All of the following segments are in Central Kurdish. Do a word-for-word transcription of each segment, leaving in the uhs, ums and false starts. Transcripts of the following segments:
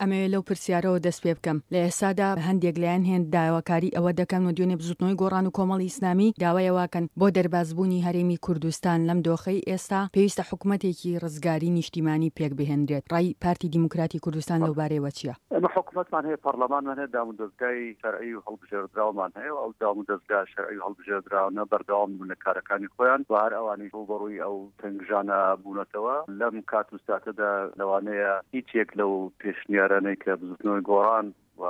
ئەمەوێ لەو پرسیارەوە دەست پێ بکەم، لە ئێستادا هەندێک لایەن هێند داواکاری ئەوە دەکەن و دوێنێ بزوتنەوەی گۆڕان و کۆمەڵی ئیسلامی داوای ئەوەکەن بۆ دەربازبوونی هەرێمی کوردستان لەم دۆخەی ئێستا پێویستە حکومەتێکی ڕزگاری نیشتیمانی پێک بهێنرێت، ڕای پارتی دیموکراتی کوردستان لەو بارەیەوە چییە؟ ئێمە حکومەتمان هەیە، پەرلەمانمان هەیە، دامودەزگای شەرعی و هەڵبژێردراومان هەیە و ئەو دامودەزگا شەرعی و هەڵبژێردراوانە بەردەوام بوون لە کارەکانی خۆیان و هەر ئەوانیش ڕووبەڕووی ئەو تەنگژانە بوونەتەوە. لەم کات و ساتەدا لەوانەیە هیچ یەک لەو پێشنیارانەی کە بزوتنەوەی گۆڕان و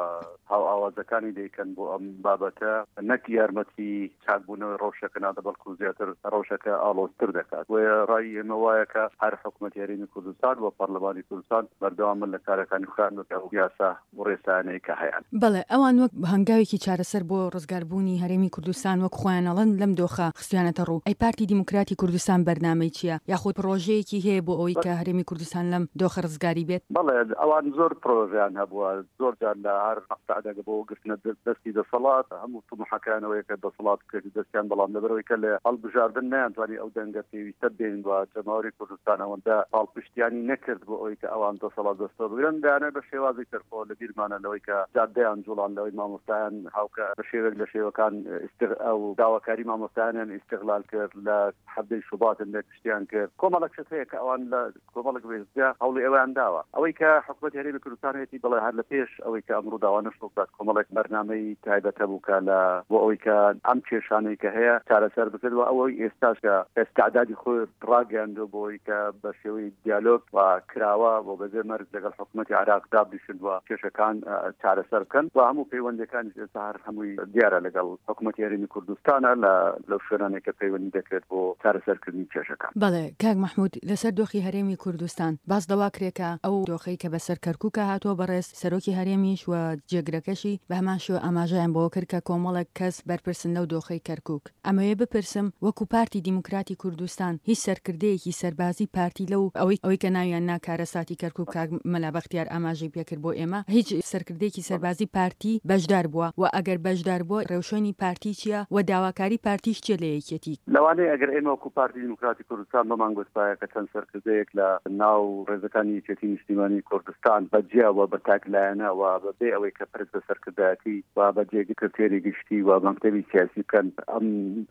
هاوئاوازەکانی دەیکەن بۆ ئەم بابەتە نەک یارمەتی چاکبوونەوەی ڕەوشەکە نادە، بەڵکو زیاتر ڕەوشەکە ئاڵۆزتر دەکات. بۆیە ڕای ئێمە وایە کە هەر حکومەتی هەرێمی کوردستان و پەرلەمانی کوردستان بەردەوام بن لە کارەکانی خۆیان بەپێی ئەو یاسا و ڕێسایانەی کە هەیان. بەڵێ، ئەوان وەک هەنگاوێکی چارەسەر بۆ ڕزگاربوونی هەرێمی کوردستان وەک خۆیان ئەڵێن لەم دۆخە خستویانەتە ڕوو، ئەی پارتی دیموکراتی کوردستان بەرنامەی چییە؟ یاخود پڕۆژەیەکی هەیە بۆ ئەوەی کە هەرێمی کوردستان لەم دۆخە ڕزگاری بێت؟ بەڵێ، ئەوان زۆر پڕۆژەیان هەبووە، زۆر جار لە هەر مەقتەعێک بۆ گرتنە دەستی دەسەڵات هەموو تموحەکەیان ئەوەیە کە دەسەڵات بکەوێتە دەستیان، بەڵام لەبەرئەوەی کە لە هەڵبژاردن نەیانتوانی ئەو دەنگە پێویستە بێنن و جەماوەری کوردستان ئەوەندە پاڵپشتیانی نەکرد بۆ ئەوەی کە ئەوان دەسەڵات دەستەوە بگرن، دەیانەوێت بە شێوازی تر، خۆ لە بیرمانە لەوەی کە جادەیان جوڵان، لەوەی مامۆستایان هاوکە بە شێوەیەک لە شێوەکان ئیستغ ئەو داواکاری مامۆستایانیان ئیستغلال کرد، لە حەڤدەی شوبات هەندێک شتیان کرد، کۆمەڵێک شت هەیە کە ئەوان لە کۆمەڵێک وێستگە هەوڵی ئەوەیان داوە. ئەوەی کە حکومەتی هەرێمی کوردستان هەیەتی، بەڵێ هەر لە پێش ئەوەی کە ئەم ڕووداوانەش ڕووبدات کۆمەڵێک بەرنامەی تایبەت هەبوو کە لە بۆ ئەوەی کە ئەم کێشانەی کە هەیە چارەسەر بکرێت و ئەوەی ئێستاش کە ئیستعدادی خۆی ڕاگەیاندووە بۆ ئەوەی کە بە شێوەی دیالۆگ و کراوە و بەبێ مەرج لەگەڵ حکومەتی عێراق دابنیشن و کێشەکان چارەسەر بکەن و هەموو پەیوەندیەکانیش ئێستا هەر هەمووی دیارە لەگەڵ حکومەتی هەرێمی کوردستانە لە لەو شوێنانەی کە پەیوەندی دەکرێت بۆ چارەسەرکردنی کێشەکان. بەڵێ کاک مەحمود، لەسەر دۆخی هەرێمی کوردستان باس لەوە کرێ کە ئەو دۆخەی کە بەسەر کەرکوکا هاتووە بەڕێز سەرۆکی هەرێمیش و جێگرەکەشی بە هەمان شێوە ئاماژەیان بەوە کرد کە کۆمەڵێک کەس بەرپرسن لەو دۆخەی کەرکوک. ئەمەوێ بپرسم وەکو پارتی دیموکراتی کوردستان هیچ سەرکردەیەکی سەربازی پارتی لەو ئەوەی ئەوەی کە ناویان نا کارەساتی کەرکوک کاک مەلا بەختیار ئاماژەی پێکرد بۆ ئێمە هیچ سەرکردەیەکی سەربازی پارتی بەشدار بووە و ئەگەر بەشدار بووە ڕێوشوێنی پارتی چییە و داواکاری پارتیش چییە لە یەکێتی؟ لەوانەیە ئەگەر ئێمە وەکو پارتی دیموکراتی کوردستان بمان گوتبایە کە چەند سەرکردەیەک لە ناو ڕێزەکانی یەکێتی نیشتیمانی کوردستان بە جیا و بە تاک لایەنە و بە بێ ئەوەی کە پرس بە سەرکردایەتی و بە جێگری سکرتێری گشتی و مەکتەبی سیاسی بکەن ئەم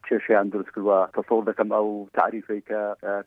کێشەیان دروست کردوە، تەسەور دەکەم ئەو تاریفەی کە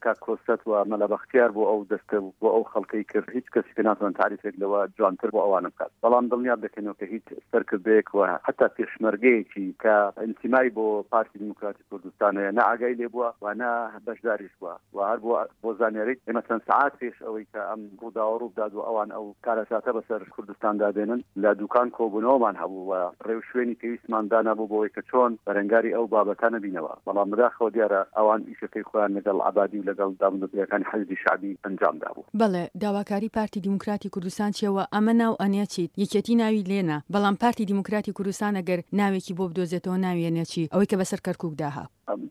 کاک کۆسرەت و مەلا بەختیار بۆ ئەو دەستە و بۆ ئەو خەڵکەی کرد هیچ کەسێک ناتوانێت تاریفێک لەوە جوانتر بۆ ئەوانە بکات، بەڵام دڵنیات دەکەینەوە کە هیچ سەرکردەیەک و حەتا پێشمەرگەیەکی کە ئینتیمای بۆ پارتی دیموکراتی کوردستان هەیە نە ئاگای لێ بووە و نە بەشداریش بووە و هەر بۆ بۆ زانیاریت ئێمە چەند سەعات پێش ئەوەی کە ئەم ڕووداوە ڕووبدات و ئەوان ئەو کارەساتە بەسەر کوردستاندا بێنن لە دوکان کۆبوونەوەمان هەبوو و ڕێوشوێنی پێویستمان دانابوو بۆ ئەوەی کە چۆن بەرەنگاری ئەو بابەتانە بینەوە، بەڵام بەداخەوە دیارە ئەوان ئیشەکەی خۆیان لەگەڵ عەبادی و لەگەڵ دامودەزگاکانی حەشدی شەعبی ئەنجام دابوو. بەڵێ، داواکاری پارتی دیموکراتی کوردستان چیە و ئەمە ناو ئەنێ چیت؟ یەکێتی ناوی لێنا، بەڵام پارتی دیموکراتی کوردستان ئەگەر ناوێکی بۆ بدۆزێتەوە ناوی ئەنێ چی؟ ئەوەی کە بەسەر کەرکوکدا ها.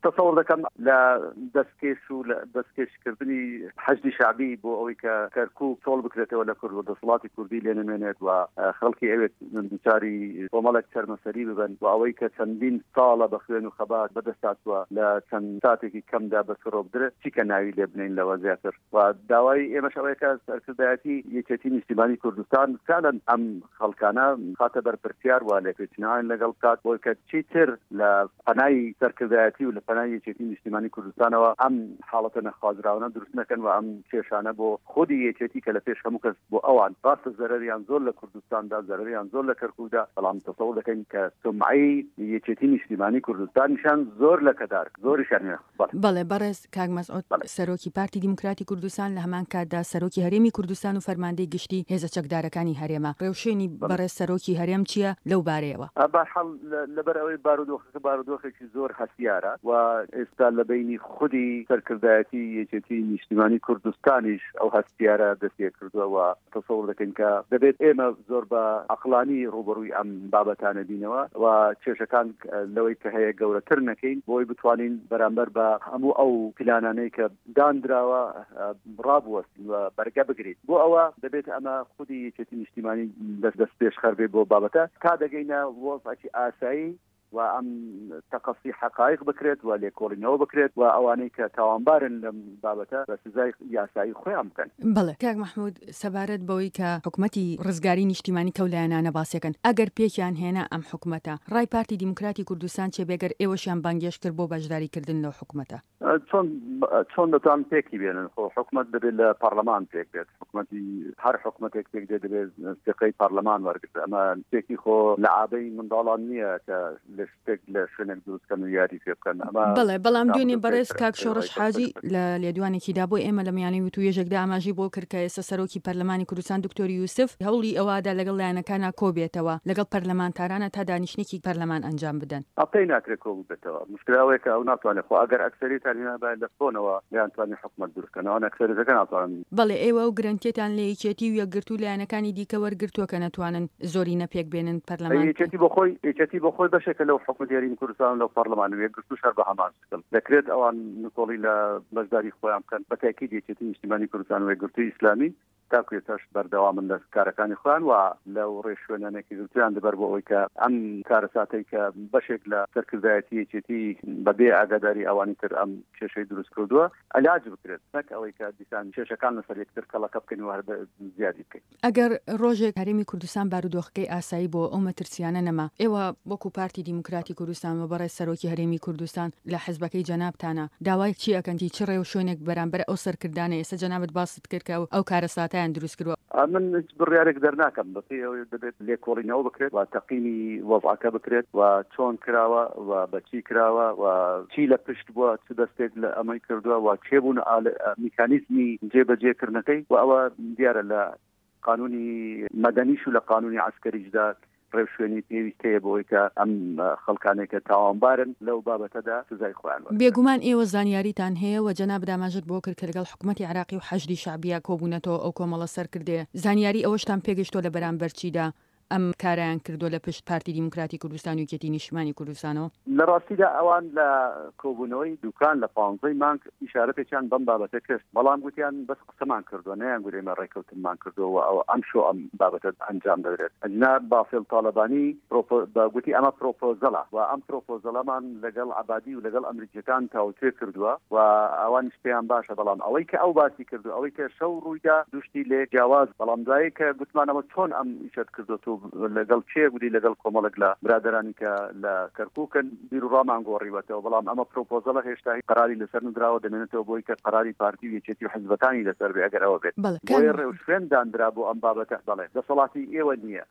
تەسەور دەکەم لە دەستکێش و لە دەستکێشکردنی حەشدی شەعبی بۆ ئەوەی کە کەرکوک چۆڵ بکرێتەوە لە کورد و دەسەڵاتی کوردی لێ نەمێنێت و خەڵکی ئەوێ دووچاری کۆمەڵێک چەرمەسەری ببن و ئەوەی کە چەندین ساڵە بە خوێن و خەبات بەدەست هاتووە لە چەند ساتێکی کەمدا بە فڕۆ بدرێت، چی کە ناوی لێ بنێین لەوە زیاتر و داوای ئێمەش ئەوەیە کە سەرکردایەتی یەکێتی نیشتیمانی کوردستان فعلا ئەم خەڵکانە بخاتە بەر پرسیار و لێپێچینەوەیان لەگەڵ بکات بۆی کە چیتر لە پەنای سەرکردایەتی و لە پەنای یەکێتی نیشتیمانی کوردستانەوە ئەم حاڵەتە نەخوازراوانە دروست نەکەن و ئەم کێشانە بۆ خودی یەکێتی کە لە پێش هەموو کەس بۆ ئەوان ڕاستە زەرەریان زۆر لە کوردستاندا زەرەریان زۆر لە کەرکوکدا، بەڵام تەسەور دەکەین کە سومعەی یەکێتی نیشتیمانی کوردستانیشان زۆر لەکەدار زۆریشیان هەیە. بەڵێ. بەڵێ بەڕێز کاک مەسعود بەڵێ. سەرۆکی پارتی دیموکراتی کوردستان لە هەمان کاتدا سەرۆکی هەرێمی کوردستان و فەرماندەی گشتی هێزە چەکدارەکانی هەرێمە، ڕێوشوێنی بەڵێ. بەڕێز سەرۆکی هەرێم چییە لەو بارەیەوە؟ بەهەرحاڵ لەبەر ئەوەی بارودۆخەکە بارودۆخێکی زۆر هەستیارە و ئێستا لە بەینی خودی سەرکردایەتی یەکێتی نیشتیمانی کوردستانیش ئەو هەستیارە دەستپێکردووە و تەسەور دەکەین کە دەبێت ئێمە زۆر بە عەقڵانی ڕووبەڕووی ئەم بابەتانە بینەوە و کێشەکان لەوەی کە هەیە گەورەتر نەکەین بۆی بتوانین بەرامبەر بە هەموو ئەو پلانانەی کە دانراوە ڕابوەستین و بەرگە بگرین. بۆ ئەوە دەبێت ئەمە خودی یەکێتی نیشتیمانی دەست پێشخەر بێت بۆ بابەتە تا دەگەینە وەزعێکی ئاسایی. و ئەم تەقەسی حەقایق بکرێت و لێکۆڵینەوە بکرێت و ئەوانەی کە تاوانبارن لەم بابەتە بە سزای یاسایی خۆیان بکەن. بەڵێ کاک مەحمود، سەبارەت بەوەی کە حکومەتی ڕزگاری نیشتیمانی کەو لایەنانە باسیەکەن، ئەگەر پێکیان هێنا ئەم حکومەتە، ڕای پارتی دیموکراتی کوردستان چێ بێگەر ئێوەشیان بانگێشت کرد بۆ بەشداریکردن لەو حکومەتە؟ چۆن چۆن دەتوان پێکی بێنن؟ خۆ حکومەت دەبێت لە پەرلەمان پێک بێت، حکومەتی هەر حکومەتێک پێک دێت دەبێت ثقەی پەرلەمان وەرگرت. ئەمە شتێکی خۆ لە عابەی منداڵان نییە کە لە شتێک لە شوێنێک دروست بکەن و یاری پێ بکەن. ئەمە بەڵێ، بەڵام دوێنێ بەڕێز کاک شۆڕش حاجی لە لێدوانێکیدا بۆ ئێمە لە میانەی وتوێژێکدا ئاماژەی بۆ کرد کە ئێستا سەرۆکی پەرلەمانی کوردستان دکتۆر یوسف هەوڵی ئەوەدا لەگەڵ لایەنەکانا کۆ بێتەوە لەگەڵ پەرلەمانتارانە تا دانیشتنێکی پەرلەمان ئەنجام بدەن. پێی ناکرێت کۆ ببێتەوە. مشکلە ئەوەیە کە ئەو ناتوانێت، خۆ ئەگەر ئەکسەریتان هێنابایە لە کۆنەوە نەیانتوانی حکومەت دروست بکەن، ئەوان ئەکسەریتەکە ناتوانن. بەڵێ، ئێوە ئەو گرەنتیەتان لە یەکێتی و یەکگرتوو لایەنەکانی دیکە وەرگرتووە کە نەتوانن زۆرینە پێک بێنن پەرلەمان؟ یەکێتی بۆ خۆی یەکێتی بۆ خۆی بەشێکە لەو حکومەتی هەرێمی کوردستان لەو پەرلەمان و یەکگرتووش هەر بە هەمان شکل دەکرێت ئەوان نکۆڵی لە بەشداری خۆیان بکەن. بە تاکید یەکێتی نیشتیمانی کوردستان و یەکگرتووی ئیسلامی تاکو ئێستاش بەردەوامن لە کارەکانی خۆیان و لەو ڕێشوێنانێکی گرتویان دەبەر بۆ ئەوەی کە ئەم کارەساتەی کە بەشێک لە سەرکردایەتی یەکێتی بەبێ ئاگاداری ئەوانی تر ئەم کێشەی دروست کردووە علاج بکرێت، نەک ئەوەی کە دیسان کێشەکان لەسەر یەکتر کەڵەکە بکەین و هەر زیادی بکەین. ئەگەر ڕۆژێک هەرێمی کوردستان بارودۆخەکەی ئاسایی بۆ ئەو مەترسیانە نەما، ئێوە وەکو پارتی دیموکراتی کوردستان و بەڕێز سەرۆکی هەرێمی کوردستان لە حزبەکەی جەنابتانە داوای چی ئەکەن؟ چ ڕێوشوێنێک بەرامبەر ئەو سەرکردانە ئێستا جەنابت باست کرد کە ئەو کارەساتیان دروست کردووە؟ من هیچ بڕیارێک دەرناکەم، بەپێی ئەوەی دەبێت لێکۆڵینەوە بکرێت و تەقیمی وەزعەکە بکرێت و چۆن کراوە و بەچی کراوە و چی لە پشت بووە، چ دەستێک لە ئەمەی کردووە و کێ بوون میکانیزمی جێبەجێکردنەکەی. و ئەوە دیارە لە قانونی مەدەنیش و لە قانونی عەسکەریشدا ڕێوشوێنی پێویست هەیە بۆ ئەوەی کە ئەم خەڵکانێک کە تاوانبارن لەو بابەتەدا سزای خۆیان وەرگرن. بێگومان ئێوە زانیاریتان هەیە و جەنابت ئاماژەت بۆ کرد کە لەگەڵ حکومەتی عێراقی و حەشدی شەعبیە کۆبوونەتەوە ئەو کۆمەڵە سەرکردەیە، زانیاری ئەوەشتان پێگەیشتووە لە بەرامبەر چیدا ئەم کارەیان کردووە لە پشت پارتی دیموکراتی کوردستان و یەکێتی نیشتمانی کوردستانەوە؟ لە ڕاستیدا ئەوان لە کۆبوونەوەی دوکان لە پانزەی مانگ ئیشارەتێکیان بەم بابەتە کرد، بەڵام گوتیان بەس قسەمان کردووە، نەیان گوت ئێمە ڕێکەوتنمان کردووە و ئەو ئەم شۆ ئەم بابەتە ئەنجام دەدرێت. ئەجنا بافێل تاڵەبانی گوتی ئەمە پرۆپۆزەڵە و ئەم پرۆپۆزەڵەمان لەگەڵ عەبادی و لەگەڵ ئەمریکیەکان تاوتوێ کردووە و ئەوانیش پێیان باشە، بەڵام ئەوەی کە ئەو باسی کردو ئەوەی کە شەو ڕوویدا دوشتی لێ جیاواز. بەڵام دوایی کە گوتمانەوە چۆن ئەم ئیشەت کردووە لەگەڵ کێ، گوتی لەگەڵ کۆمەڵێک لە برادەرانی کە لە کەرکووکن بیر و ڕامان گۆڕیوەتەوە، بەڵام ئەمە پرۆپۆزەڵە هێشتا قەراری لەسەر ندراوە، دەمێنێتەوە بۆی کە قەراری پارتی و یەکێتی و حزبەکانی لەسەر بێ ئەگەر ئەوە بێت. بۆیە ڕێوشوێن دانرا بۆ ئەم بابەتە. بەڵێ دەسەڵاتی ئێوە نییە،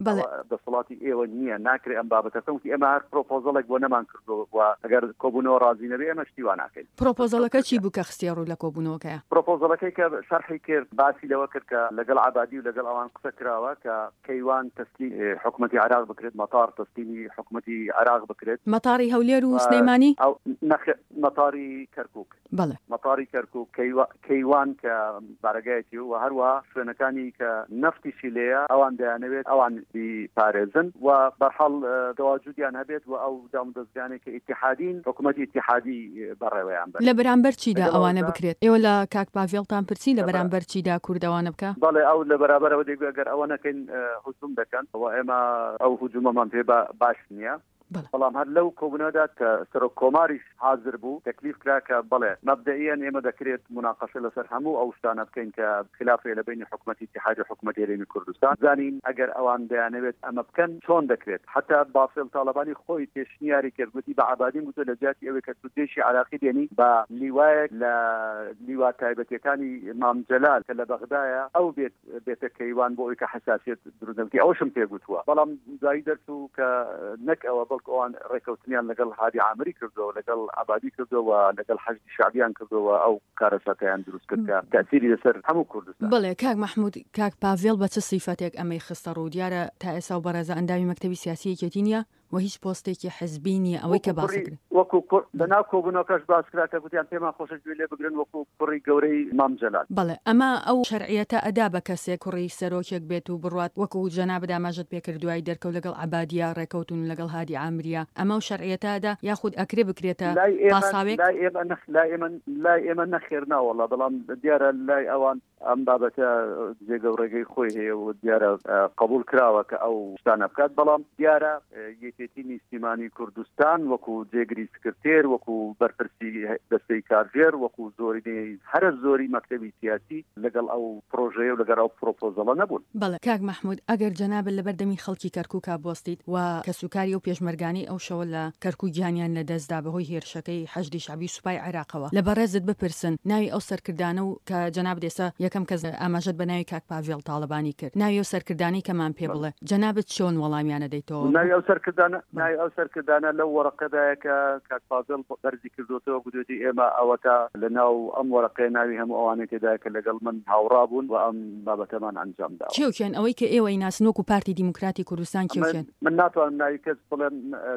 دەسەڵاتی ئێوە نییە، ناکرێ ئەم بابەتە بکەن. وتی ئێمە هەر پرۆپۆزەڵێک بۆ نەمان کردووە و ئەگەر کۆبوونەوە ڕازی نەبێ ئێمە شتی وا ناکەین. پرۆپۆزەڵەکە چی بوو کە خستیە ڕوو لە کۆبوونەوەکەیە؟ پرۆپۆزەڵەکەی کە شەرحی کرد باسی لەوە کرد کە لەگەڵ عەبادی و لەگەڵ ئەوان قسە کراوە کە کەیوان تەسلیم حکومەتی عێراق بکرێت، مەتار تەسلیمی حکومەتی عێراق بکرێت. مەتاری هەولێر و سلێمانی؟ ئەو نەخێر، مەتاری کەرکووک. بەڵێ مەتاری کەرکووک، کەیوان کە بارەگایەتی و هەروەها شوێنەکانی کە نەفتیشی لێیە ئەوان دەیانەوێت ئەوان بیپارێزن و بەرحاڵ تەواجودیان هەبێت و ئەو دامودەزگانێک کە ئیتیحادین حکوومەتی ئیتیحادی بەڕێوەیان بەرن. لە بەرامبەر چیدا ئەوانە بکرێت؟ ئێوە لە کاک پاڤێڵتان پرسی لە بەرامبەر چیدا کورد ئەوانە بکە؟ بەڵێ، ئەو لە بەرابەرەوە دەیگوت ئەگەر ئەوە نەکەین هجوم دەکەن و ئێمە ئەو هجومەمان پێ باش نییە. بەڵام هەر لەو کۆبوونەوەدا کە سەرۆک کۆماریش حاضر بوو تەکلیف کرا کە بەڵێ مەبدەئیەن ئێمە دەکرێت مناقەشە لەسەر هەموو ئەو شتانە بکەین کە خلاف هەیە لە بەینی حکوومەتی ئیتیحادی و حکوومەتی هەرێمی کوردستان، زانین ئەگەر ئەوان دەیانەوێت ئەمە بکەن چۆن دەکرێت. حتا بافێل تاڵەبانی خۆی پێشنیاری کرد، گوتی بە عەبادیم گوتووە لە جیاتی ئەوەی کە تو جێشی عراقی بێنی بە لیوایەک لە لیوا تایبەتیەکانی مام جەلال کە لە بەغدایە ئەو بێت بێتە کەیوان بۆ ئەوەی کە حساسیەت دروست نەبێت. ئەوەشم پێ گوتووە، بەڵام دوایی دەرچوو کە نەک ئەوە بەڵکو ئەوان ڕێکەوتنیان لەگەڵ هادی عامری کردووە، لەگەڵ عەبادی کردووە و لەگەڵ حەشدی شەعبیان کردووە، ئەو کارەساتیان دروست کرد کە تەئسیری لەسەر هەموو کوردستان. بەڵێ کاک مەحموود، کاک پاڤێڵ بە چ سیفەتێک ئەمەی خستە ڕوو؟ دیارە تا ئێستا و بەڕێزە ئەندامی مەکتەبی سیاسی یەکێتی نییە و هیچ پۆستێکی حزبی نییە. ئەوەی کە باس کرد وەکو لەناو کۆبوونەوەکەش باس کرا کە گوتیان پێمان خۆشە گوێ لێ بگرن وەکو کوڕی گەورەی مام جەلال. بەڵێ ئەمە ئەو شەرعیەتە ئەدا بە کەسێک کوڕی سەرۆکێک بێت و بڕوات وەکو جەنابت ئاماژەت پێکرد دوای دەرکەوت لەگەڵ عەبادیە ڕێکەوتون لەگەڵ هادی عامریە، ئەمە ئەو شەرعیەتە ئەدا یاخود ئەکرێ بکرێتە پاساوێک؟ لای ئێمە لای ئێمە لای ئێمە نەخێر ناوەڵا، بەڵام دیارە لای ئەوان ئەم بابەتە جێگە و ڕێگەی خۆی هەیە و دیارە قبول کراوە کە ئەو شتانە بکات. بەڵام دیارە یەکێتی نیشتیمانی کوردستان وەکو جێگری سکرتێر، وەکو بەرپرسی دەستەی کارگێر، وەکو زۆرینەی هەرە زۆری مەکتەبی سیاسی لەگەڵ ئەو پرۆژەیە و لەگەڵ ئەو پرۆپۆزەڵە نەبوون. بەڵێ کاک مەحمود، ئەگەر جەنابت لەبەردەمی خەڵکی کەرکووکا بوەستیت و کەسوکاری ئەو پێشمەرگانەی ئەو شەوە لە کەرکووک گیانیان لەدەستدا بەهۆی هێرشەکەی حەشدی شەعبی و سوپای عێراقەوە لە بەڕێزت بپرسن ناوی ئەو سەرکردانە و کە جەنابت ئێستا یەکەم کەس ئاماژەت بە ناوی کاک پاڤێڵ تاڵەبانی کرد، ناوی ئەو سەرکردانەی کەمان پێ بڵێ، جەنابت چۆن وەڵامیانە دەیتەوە؟ ناوی ئەو سەرکردانە ناوی ئەو سەرکردانە لەو وەرەقەدایە کە کاک پاڤێڵ بەرزی کردوتەوە، گوتویەتی ئێمە ئەوەتا لە ناو ئەم وەرەقەیە ناوی هەموو ئەوانەی تێدایە کە لەگەڵ من هاوڕا بوون و ئەم بابەتەمان ئەنجام داوە. کێوکێن ئەوەی کە ئێوەی ناسن وەکو پارتی دیموکراتی کوردستان کێوکێن؟ من ناتوانم ناوی کەس بڵێم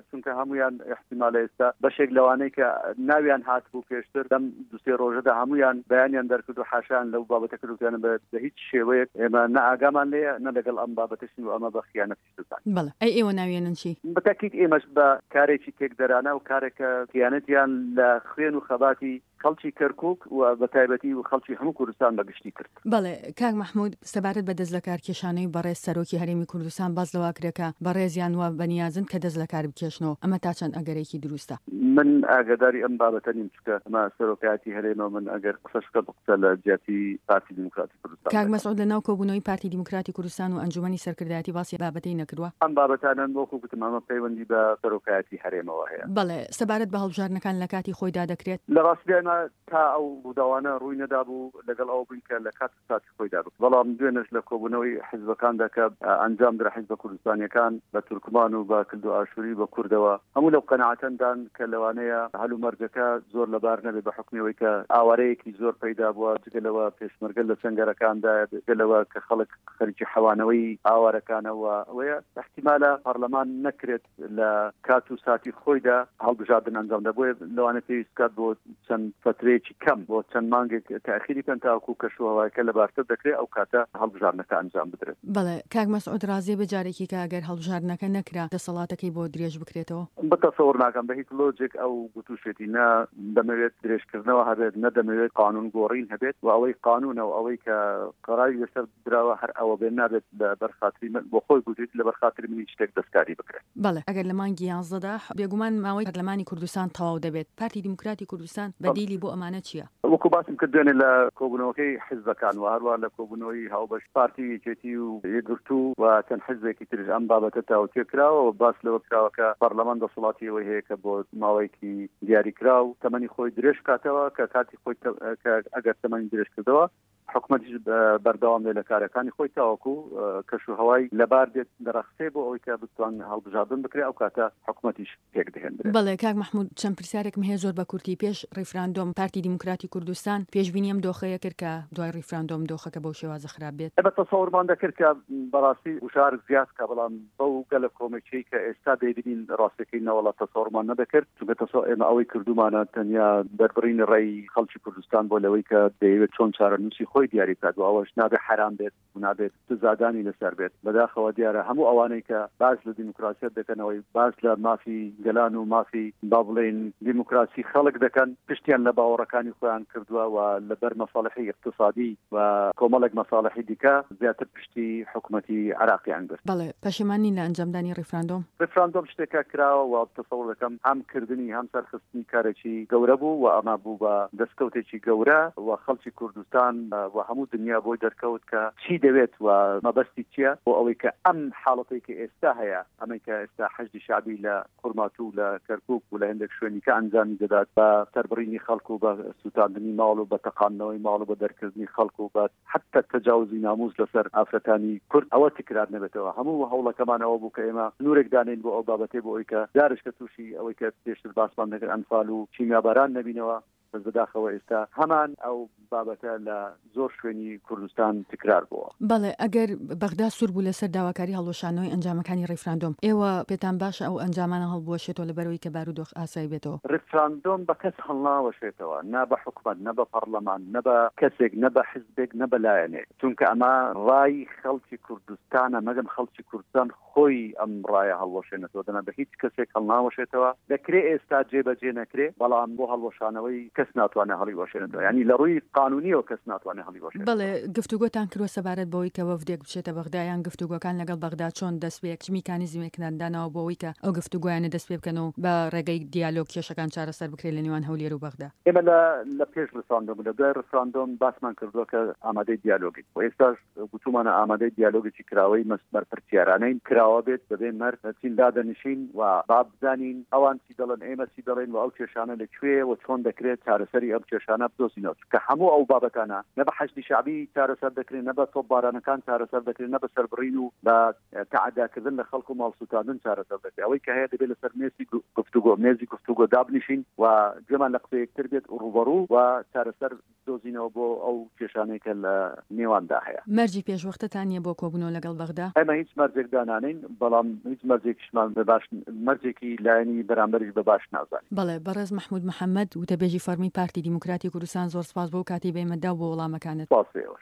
چونکە هەمویان احتیمالە ئێستا بەشێک لەوانەی کە ناویان هاتبوو پێشتر لەم دوو سێ ڕۆژەدا هەمویان بەیانیان دەرکرد و حاشایان لەو بابەتە کرد و بە هیچ شێوەیەک ئێمە نە ئاگامان لێیە نە لەگەڵ ئەم بابەتەشین و ئەمە بە خیانەتیش دەزانین. بەڵێ ئەی ئێوە ناویێنن چی؟ بەتەکید ئێمەش بە کارێکی تێکدەرانە و کارێکە خیانەتیان لە خوێن و خەباتی خەڵکی کەرکووک و بە تایبەتی و خەڵکی هەموو کوردستان بەگشتی کرد. بەڵێ کاک مەحمود، سەبارەت بە دەست لە کارکێشانەوەی بەڕێز سەرۆکی هەرێمی کوردستان باس لەوە کرێ کە بەڕێزیان وە بەنیازن کە دەست لە کار بکێشنەوە، ئەمە تا چەند ئەگەرێکی دروستە؟ من ئاگاداری ئەم بابەتە نیم، چونکە ئەمە سەرۆکایەتی هەرێمە، من ئەگەر قسەش بکەم قسە لە جیاتی پارتی دیموکراتی کوردستان. کاک مەسعود لە ناو کۆبوونەوەی پارتی دیموکراتی کوردستان و ئەنجومەنی سەرکردایەتی باسی بابەتەی نەکردووە؟ ئەم بابەتانە وەکو گوتم ئەمە پەیوەندی بە سەرۆکایەتی هەرێمەوە هەیە. بەڵێ سەبارەت بە هەڵبژاردنەکان لە کاتی خۆیدا دەکرێت؟ لە ڕاستیدا ئێمە تا ئەو ڕووداوانە ڕووی نەدابوو لەگەڵ ئەوە بووین کە لە کات ساتی خۆیدا بوو، بەڵام دوێنێش لە کۆبوونەوەی حیزبەکاندا کە ئەنجام درا حیزبە کوردستانیەکان بە تورکمان و بە کلد و ئاشووری بە کوردەوە هەموو لەو قەناعەتەندان کە لەوانەیە هەلومەرجەکە زۆر لەبار نەبێ بە حکمەوەی کە ئاوارەیەکی زۆر پەیدا بووە، جگە لەوە پێشمەرگە لە سەنگەرەکاندایە، جگە لەوە کە خەڵک خەریکی حەوانەوەی ئاوارەکانەوە، ئەوەیە احتیمالە پەرلەمان نەکرێت لە کات و ساتی خۆیدا هەڵبژاردن ئەنجامدا، بۆیە لەوانە پێویست بکات بۆ چەند فترەیەکی کەم بۆ چەند مانگێک تاخیری بکەن تاوەکو کەشوهەوایەکە لەبارتر دەکرێت ئەو کاتە هەڵبژاردنەکە ئەنجام بدرێت. بەڵێ کاک مەسعود ڕازیە بە جارێکی کە ئەگەر هەڵبژاردنەکە نەکرا دەسەڵاتەکەی بۆ درێژ بکرێتەوە؟ بەتەسەور ناکەم بە هیچ لۆجێک ئەو گوتوشێتی، نە دەمەوێت درێژکردنەوە هەبێت، نە دەمەوێت قانون گۆڕین هەبێت و ئەوەی قانونە و ئەوەی کە قەراری لەسەر دراوە هەر ئەوە بێ، نابێت لەبەر خاتری من بۆ خۆی گوتیت لەبەر خاتری من هیچ شتێک دەستکاری بکرێت. بەڵێ ئەگەر لە مانگی یانزەدا بێگومان ماوەی پەرلەمانی کوردستان تەواو دەبێت، پارتی دیموکراتی کوردستان بەدیلی بۆ ئەمانە چییە؟ وەکو باسم کرد دوێنێ لە کۆبوونەوەکەی حیزبەکان و هەروە لە کۆبوونەوەی هاوبەش پارتی یەکێتی و یەکگرتوو و چەند حیزبێکی تریش ئەم بابەتە تاوتوێ کراوە و باس لەوە کراوە کە پەرلەمان دەسەڵاتی ئەوەی هەیە کە بۆ ماوەیەکی دیاریکراو تەمەنی خۆی درێژ بکاتەوە، کە کاتی خۆی کە ئەگەر تەمەنی درێژ کردەوە حکومەتیش بەردەوام بێت لە کارەکانی خۆی تاوەکو کەش و هەوای لەبار دێت دەڕەخسێ بۆ ئەوەی کە بتوان هەڵبژاردن بکرێت، ئەو کاتە حکومەتیش پێک دەهێنرێت. بەڵێ کاک مەحمود، چەند پرسیارێکم هەیە زۆر بە کورتی. پێش ڕیفراندۆم پارتی دیموکراتی کوردستان پێشبینی ئەم دۆخەیە کرد کە دوای ڕیفراندۆم دۆخەکە بەو شێوازە خراپ بێت؟ ئێمە تەسەورمان دەکرد کە بەڕاستی گوشار زیاد کە، بەڵام بەو گەلە کۆمەکیەی کە ئێستا دەیبینین ڕاستەکەی نەوەڵا تەسەورمان نەدەکرد، چونکە تەسەور ئێمە ئەوەی کردومانە تەنیا دەربڕینی ڕێی خەڵکی کوردستان بۆ لەوەی کە دەیەوێت چۆن چارەنووسی خۆی دیاری بکات و ئەوەش نابێت حرام بێت و نابێت سزادانی لەسەر بێت. بەداخەوە دیارە هەموو ئەوانەی کە باس لە دیموکراسیەت دەکەنەوەی باس لە مافی گەلان و مافی با بڵێین دیموکراسی خەڵک دەکەن، پشتیان لە باوەڕەکانی خۆیان کردووە و لەبەر مەساڵحی اقتصادی و کۆمەڵێک مەساڵحی دیکە زیاتر پشتی حکوومەتی عێراقیان گرت. بەڵێ پەشیمان نین لە ئەنجامدانی ڕیفراندۆم؟ ڕیفراندۆم شتێکە کراوە و تەسەور دەکەم هەم کردنی هەم سەرخستنی کارێکی گەورە بوو و ئەمە بوو بە دەستکەوتێکی گەورە و خەڵکی کوردستان و هەموو دنیا بۆی دەرکەوت کە چی دەوێت و مەبەستی چییە بۆ ئەوەی کە ئەم حاڵەتەی کە ئێستا هەیە، ئەمەی کە ئێستا حەشدی شەعبی لە خورماتوو لە کەرکووک و لە هەندێک شوێنی کە ئەنجامی دەدات بە سەربڕینی خەڵک و بە سووتاندنی ماڵ و بە تەقاندنەوەی ماڵ و بە دەرکردنی خەڵک و بە حتی تەجاوزی ناموس لەسەر ئافرەتانی کورد، ئەوە تکرار نەبێتەوە. هەموو هەوڵەکەمانەوە بوو کە ئێمە سنوورێک دانین بۆ ئەو بابەتەی بۆ ئەوەی کە جارش کە تووشی ئەوەی کە پێشتر باسمان دەکرد ئەنفال و کیمیاباران نەبینەوە. بەس بەداخەوە ئێستا هەمان ئەو بابەتە لە زۆر شوێنی کوردستان تکرار بووە. بەڵێ ئەگەر بەغدا سوور بوو لەسەر داواکاری هەڵوەشانەوەی ئەنجامەکانی ڕیفراندۆم، ئێوە پێتان باشە ئەو ئەنجامانە هەڵبوەشێتەوە لەبەرەوەی کە بارودۆخ ئاسایی بێتەوە؟ ڕیفراندۆم بە کەس هەڵناوەشێتەوە، نە بە حکومەت، نە بە پەرلەمان، نە بە کەسێک، نە بە حزبێک، نە بە لایەنێک، چونکە ئەمە ڕای خەڵکی کوردستانە. مەگەم خەڵکی کوردستان خۆی ئەم ڕایە هەڵوەشێنێتەوە، دەنا بە هیچ کەسێک هەڵناوەشێتەوە. دەکرێ ئێستا جێبەجێ نەکرێ، بەڵام بۆ هەڵوەشانەوەی کەس ناتوانێت هەڵیوەشێنێتەوە، یانی لە ڕووی قانونیەوە کەس ناتوانێت هەڵیوەشێنێتەوە. بەڵێ، گفتوگۆتان کردووە سەبارەت بەوەی کە وەفدێک بچێتە بەغدا یان گفتوگۆکان لەگەڵ بەغدا چۆن دەست پێ چ میکانیزمێکتان داناوە بۆ ئەوەی کە ئەو گفتوگۆیانە دەست پێ بکەن و بە ڕێگەی دیالۆگ کێشەکان چارەسەر بکرێت لە نێوان هەولێر و بەغدا؟ ئێمە لە لە پێش ڕیفراندۆم و لە دوای ڕیفراندۆم باسمان کردووە کە ئامادەی دیالۆگین و ئێستاش گوتوومانە ئامادەی دیالۆگێکی کراوەی بەرپرسیارانەین، کراوە بێت بەبێ مەرج دەچین دادەنیشین و با بزانین ئەوان چی دەڵێن ئێمە چی دەڵێین و ئەو کێشانە لە کوێیە و چۆن دەکرێت چارەسەری ئەم کێشانە بدۆزینەوە، چونکە هەموو ئەو بابەتانە نە بە حەشدی شەعبی چارەسەر دەکرێن، نە بە تۆپبارانەکان چارەسەر دەکرێن، نە بە سەربڕین و بە تەعەداکردن لە خەڵک و ماڵسووتاندن چارەسەر دەکرێت. ئەوەی کە هەیە دەبێت لەسەر مێزی گفتوگۆ مێزی گفتوگۆ دابنیشین و گوێمان لە قسەی یەکتر بێت و ڕووبەڕوو و چارەسەر بدۆزینەوە بۆ ئەو کێشانەی کە لە نێواندا هەیە. مەرجی پێشوەختەتان نییە بۆ کۆبوونەوە لەگەڵ بەغدا؟ ئێمە هیچ مەرجێک دانانێین، بەڵام هیچ مەرجێکیشمان بە باش مەرجێکی لایەنی بەرامبەریش بە باش نازانین. بەڵێ، بەڕێز مەحموود محەمەد، وتەبێژی فەڕمی پارتی دیموکراتی کوردستان، زۆر سپاس بۆ ئەو کاتەی بە ئێمەت دا و بۆ وەڵامەکانت. سپاس بۆ ئێوەش.